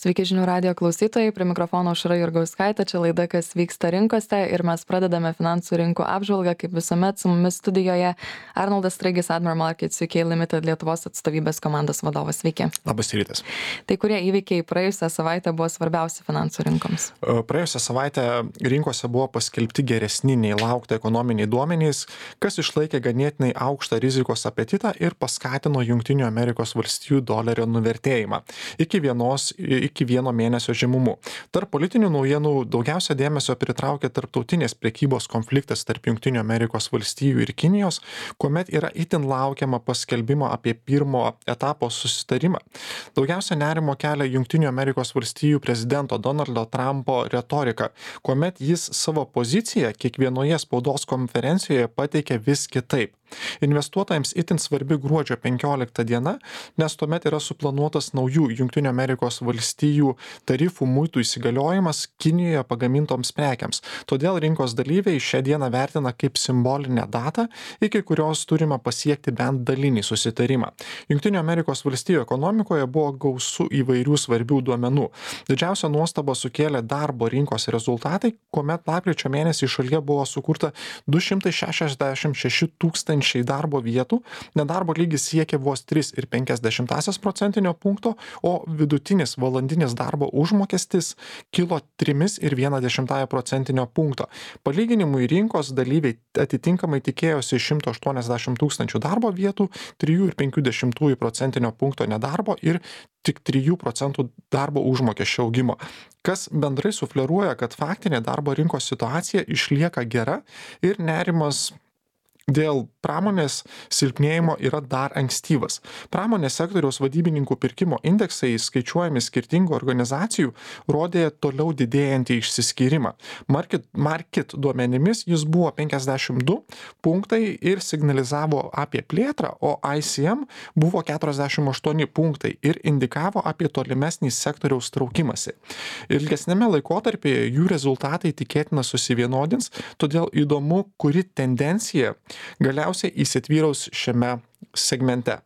Sveiki žinių radijo klausytojai, prie mikrofono Aušra Jurgauskaitė, čia laida Kas vyksta rinkose ir mes pradedame finansų rinkų apžvalgą, kaip visuomet su mumis studijoje Arnoldas Straigis, Admiral Markets UK Limited Lietuvos atstovybės komandos vadovas. Sveiki. Labas rytas. Tai kurie įvykiai praėjusią savaitę buvo svarbiausi finansų rinkoms? Praėjusią savaitę rinkose buvo paskelbti geresni nei laukta ekonominiai duomenys, kas išlaikė ganėtinai aukštą rizikos apetitą ir paskatino Jungtinių Amerikos valstijų dolerio nuvertėjimą iki vieno mėnesio žemumų. Tarp politinių naujienų daugiausia dėmesio pritraukė tarptautinės prekybos konfliktas tarp Jungtinių Amerikos valstijų ir Kinijos, kuomet yra itin laukiama paskelbimo apie pirmo etapo susitarimą. Daugiausia nerimo kelia Jungtinių Amerikos valstijų prezidento Donaldo Trumpo retorika, kuomet jis savo poziciją kiekvienoje spaudos konferencijoje pateikė vis kitaip. Investuotojams itin svarbi gruodžio 15 diena, nes tuomet yra suplanuotas naujų Jungtinių Amerikos valstijų tarifų muitų įsigaliojimas Kinijoje pagamintoms prekiams. Todėl rinkos dalyviai šią dieną vertina kaip simbolinę datą, iki kurios turime pasiekti bent dalinį susitarimą. Jungtinių Amerikos valstijų ekonomikoje buvo gausu įvairių svarbių duomenų. Didžiausia nuostaba sukėlė darbo rinkos rezultatai, kuomet lapkričio mėnesį šalyje buvo sukurta 266 tūkstančiai darbo vietų, nedarbo lygis siekė vos 3,5% punkto, o vidutinis valandinis darbo užmokestis kilo 3,1% punkto. Palyginimui rinkos dalyviai atitinkamai tikėjosi 180 tūkstančių darbo vietų, 3,5% punkto nedarbo ir tik 3% darbo užmokesčio augimo, kas bendrai sufleruoja, kad faktinė darbo rinkos situacija išlieka gera ir nerimas dėl pramonės silpnėjimo yra dar ankstyvas. Pramonės sektoriaus vadybininkų pirkimo indeksai, skaičiuojami skirtingų organizacijų, rodė toliau didėjantį išsiskyrimą. Market duomenimis jis buvo 52 punktai ir signalizavo apie plėtrą, o ICM buvo 48 punktai ir indikavo apie tolimesnį sektoriaus traukimąsi. Ilgesnėme laikotarpyje jų rezultatai tikėtina susivienodins, todėl įdomu, kuri tendencija galiausiai įsitvyraus šiame segmente.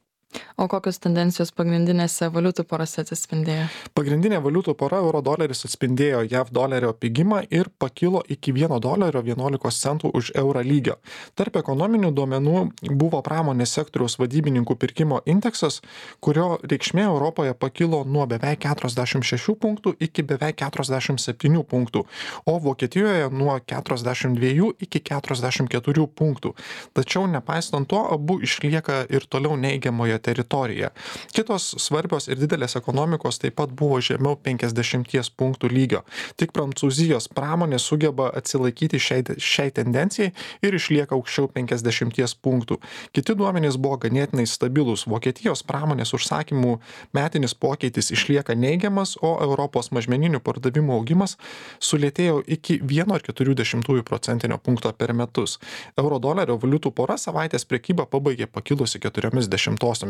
O kokios tendencijos pagrindinėse valiutų porose atsispindėjo? Pagrindinė valiutų pora euro doleris atspindėjo JAV dolerio pigimą ir pakilo iki $1.11 už eurą lygio. Tarp ekonominių duomenų buvo pramonės sektoriaus vadybininkų pirkimo indeksas, kurio reikšmė Europoje pakilo nuo beveik 46 punktų iki beveik 47 punktų, o Vokietijoje nuo 42 iki 44 punktų. Tačiau nepaisant to, abu išlieka ir toliau neigiamoje teritoriją. Kitos svarbios ir didelės ekonomikos taip pat buvo žemiau 50 punktų lygio. Tik Prancūzijos pramonė sugeba atsilaikyti šiai tendencijai ir išlieka aukščiau 50 punktų. Kiti duomenys buvo ganėtinai stabilus. Vokietijos pramonės užsakymų metinis pokytis išlieka neigiamas, o Europos mažmeninių pardavimų augimas sulėtėjo iki 1,4% punkto per metus. Euro dolerio valiutų pora savaitės prekybą pabaigė pakilusi 0,4%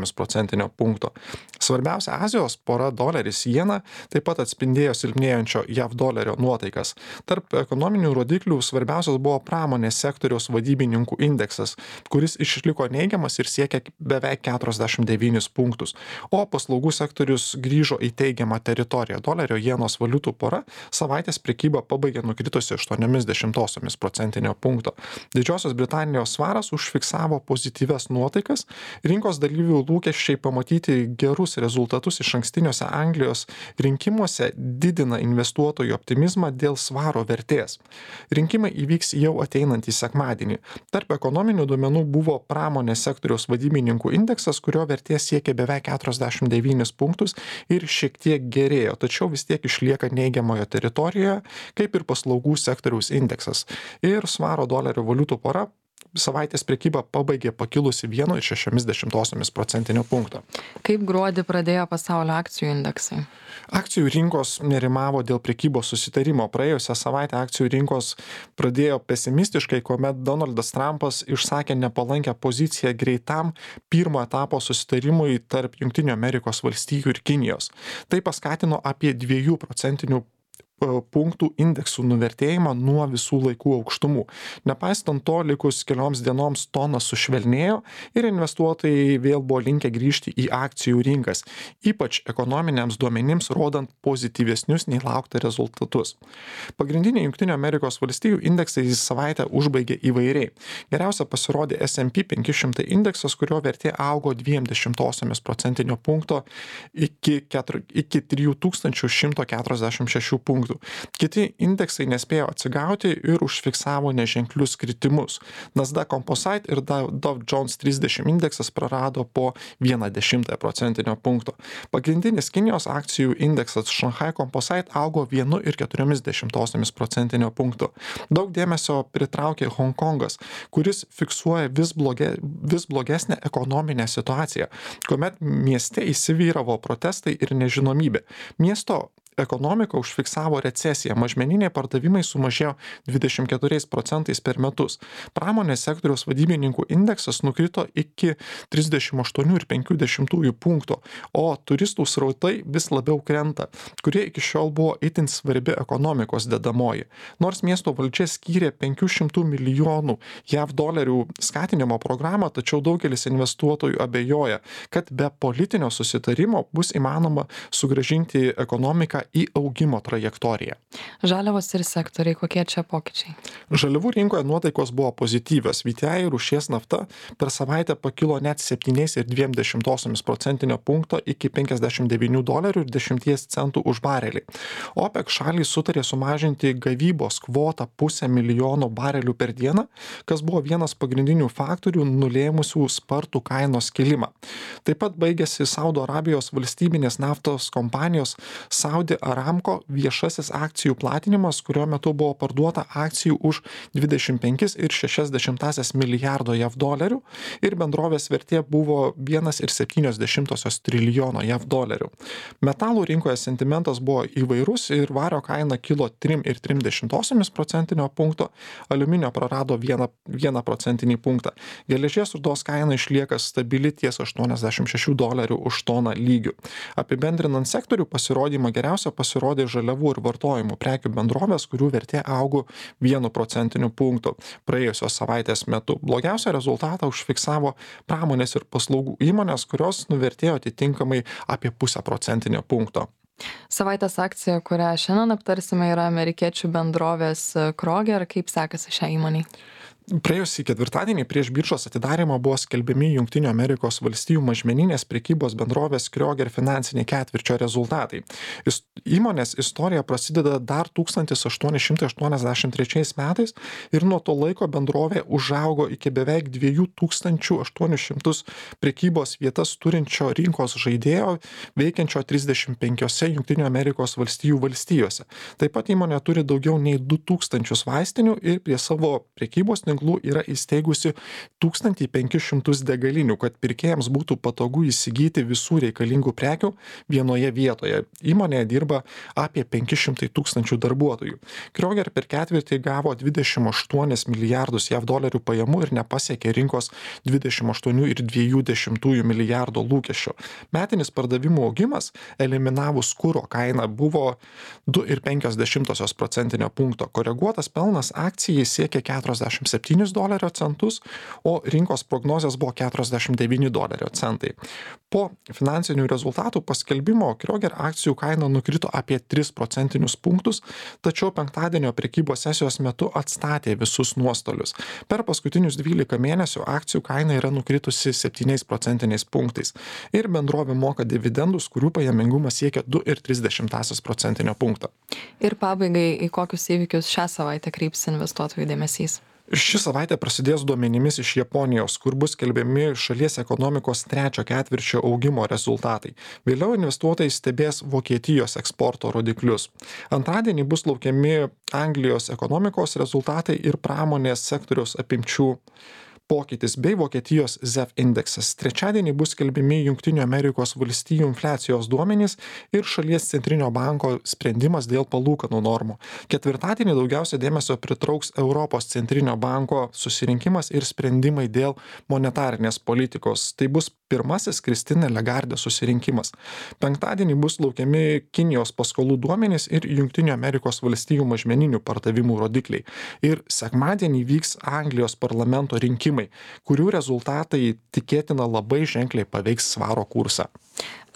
punkto. Svarbiausia Azijos pora doleris jena taip pat atspindėjo silpnėjančio JAV dolerio nuotaikas. Tarp ekonominių rodiklių svarbiausias buvo pramonės sektoriaus vadybininkų indeksas, kuris išliko neigiamas ir siekia beveik 49 punktus, o paslaugų sektorius grįžo į teigiamą teritoriją. Dolerio jenos valiutų pora savaitės prekybą pabaigė nukritusi 0,8% punkto. Didžiosios Britanijos svaras užfiksavo pozityvias nuotaikas, rinkos dalyvių lūkesčiai pamatyti gerus rezultatus išankstiniuose Anglijos rinkimuose didina investuotojų optimizmą dėl svaro vertės. Rinkimai įvyks jau ateinantį sekmadienį. Tarp ekonominių duomenų buvo pramonės sektoriaus vadybininkų indeksas, kurio vertė siekia beveik 49 punktus ir šiek tiek gerėjo, tačiau vis tiek išlieka neigiamoje teritorijoje, kaip ir paslaugų sektoriaus indeksas. Ir svaro dolerio valiutų pora savaitės prekybą pabaigė pakilusi 1,6% punkto. Kaip gruodį pradėjo pasaulio akcijų indeksai? Akcijų rinkos nerimavo dėl prekybos susitarimo. Praėjusią savaitę akcijų rinkos pradėjo pesimistiškai, kuomet Donaldas Trumpas išsakė nepalankę poziciją greitam pirmo etapo susitarimui tarp Jungtinių Amerikos valstijų ir Kinijos. Tai paskatino apie 2% punktų indeksų nuvertėjimą nuo visų laikų aukštumų. Nepaisant to, likus kelioms dienoms tonas sušvelnėjo ir investuotojai vėl buvo linkę grįžti į akcijų rinkas, ypač ekonominiams duomenims rodant pozityvesnius nei laukta rezultatus. Pagrindiniai Junktinių Amerikos valstijų indeksai savaitę užbaigė įvairiai. Geriausia pasirodė S&P 500 indeksas, kurio vertė augo 0,2 procentinio punkto iki 3146 punktų. Kiti indeksai nespėjo atsigauti ir užfiksavo neženklius kritimus. Nasdaq Composite ir Dow Jones 30 indeksas prarado po 0,1 procentinio punkto. Pagrindinis Kinijos akcijų indeksas Shanghai Composite augo 1,4 procentinio punkto. Daug dėmesio pritraukė Hongkongas, kuris fiksuoja vis blogesnę ekonominę situaciją, kuomet mieste įsivyravo protestai ir nežinomybė. Miesto ekonomika užfiksavo recesiją, mažmeniniai pardavimai sumažėjo 24% per metus. Pramonės sektoriaus vadybininkų indeksas nukrito iki 38,5 punkto, o turistų srautai vis labiau krenta, kurie iki šiol buvo itin svarbi ekonomikos dedamoji. Nors miesto valdžia skyrė 500 milijonų JAV dolerių skatinimo programą, tačiau daugelis investuotojų abejoja, kad be politinio susitarimo bus įmanoma sugrąžinti ekonomiką į augimo trajektoriją. Žaliavos ir sektoriai, kokie čia pokyčiai? Žaliavų rinkoje nuotaikos buvo pozityvios. VTI rūšies nafta per savaitę pakilo net 7,2 procentinio punkto iki $59.10 už barelį. OPEC šalys sutarė sumažinti gavybos kvotą 500 milijono barelių per dieną, kas buvo vienas pagrindinių faktorių nulėmusių spartų kainos kilimą. Taip pat baigėsi Saudo Arabijos valstybinės naftos kompanijos Saudi Aramco viešasis akcijų platinimas, kurio metu buvo parduota akcijų už 25,6 milijardo JAV dolerių ir bendrovės vertė buvo 1,7 trilijono JAV dolerių. Metalų rinkoje sentimentas buvo įvairus ir vario kaina kilo 3,3 procentinio punkto, aliuminio prarado 1 procentinį punktą. Geležies rūdos kaina išlieka stabili ties $86 už toną lygių. Apibendrinant sektorių pasirodymą geriausia pasirodė žaliavų ir vartojimų prekių bendrovės, kurių vertė augo 1 procentiniu punktu praėjusios savaitės metu. Blogiausią rezultatą užfiksavo pramonės ir paslaugų įmonės, kurios nuvertėjo atitinkamai apie 0,5 procentinio punkto. Savaitės akcija, kurią šiandien aptarsime, yra amerikiečių bendrovės Kroger. Kaip sekasi šią įmonį? Praėjusį ketvirtadienį prieš biržos atidarymą buvo skelbiami Junktinių Amerikos valstijų mažmeninės prekybos bendrovės Kroger finansiniai ketvirčio rezultatai. Įmonės istorija prasideda dar 1883 metais ir nuo to laiko bendrovė užaugo iki beveik 2800 prekybos vietas turinčio rinkos žaidėjo veikiančio 35 Junktinių Amerikos valstijų valstijose. Taip pat įmonė turi daugiau nei 2000 vaistinių ir prie savo prekybos yra įsteigusi 1500 degalinių, kad pirkėjams būtų patogu įsigyti visų reikalingų prekių vienoje vietoje. Įmonėje dirba apie 500 tūkstančių darbuotojų. Kroger per ketvirtį gavo 28 milijardus JAV dolerių pajamų ir nepasiekė rinkos 28,2 milijardo lūkesčio. Metinis pardavimų augimas, eliminavus kuro kainą, buvo 2,5 procentinio punkto. Koreguotas pelnas akcijai siekė $47, o rinkos prognozės buvo $49. Po finansinių rezultatų paskelbimo Kroger akcijų kaina nukrito apie 3 procentinius punktus, tačiau penktadienio prekybos sesijos metu atstatė visus nuostolius. Per paskutinius 12 mėnesių akcijų kaina yra nukritusi 7 procentiniais punktais ir bendrovė moka dividendus, kurių pajamingumas siekia 2,3 procentinio punkto. Ir pabaigai, į kokius įvykius šią savaitę kreips investuotojų dėmesys? Ši savaitė prasidės duomenimis iš Japonijos, kur bus skelbiami šalies ekonomikos trečio ketvirčio augimo rezultatai. Vėliau investuotojai stebės Vokietijos eksporto rodiklius. Antradienį bus laukiami Anglijos ekonomikos rezultatai ir pramonės sektoriaus apimčių pokytis bei Vokietijos ZEV indeksas. Trečiadienį bus skelbiami Junktinių Amerikos valstijų infliacijos duomenys ir šalies centrinio banko sprendimas dėl palūkanų normų. Ketvirtadienį daugiausia dėmesio pritrauks Europos centrinio banko susirinkimas ir sprendimai dėl monetarinės politikos. Tai bus pirmasis Christine Lagarde susirinkimas. Penktadienį bus laukiami Kinijos paskolų duomenys ir Junktinių Amerikos valstijų mažmeninių pardavimų rodikliai. Ir sekmadienį vyks Anglijos parlamento rinkimai, kurių rezultatai tikėtina labai ženkliai paveiks svaro kursą.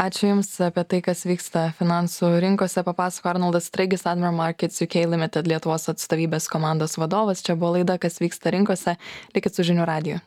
Ačiū Jums apie tai, kas vyksta finansų rinkose. Papasako Arnoldas Straigis, Admiral Markets UK Limited Lietuvos atstovybės komandos vadovas. Čia buvo laida, kas vyksta rinkose. Likit su žinių radiju.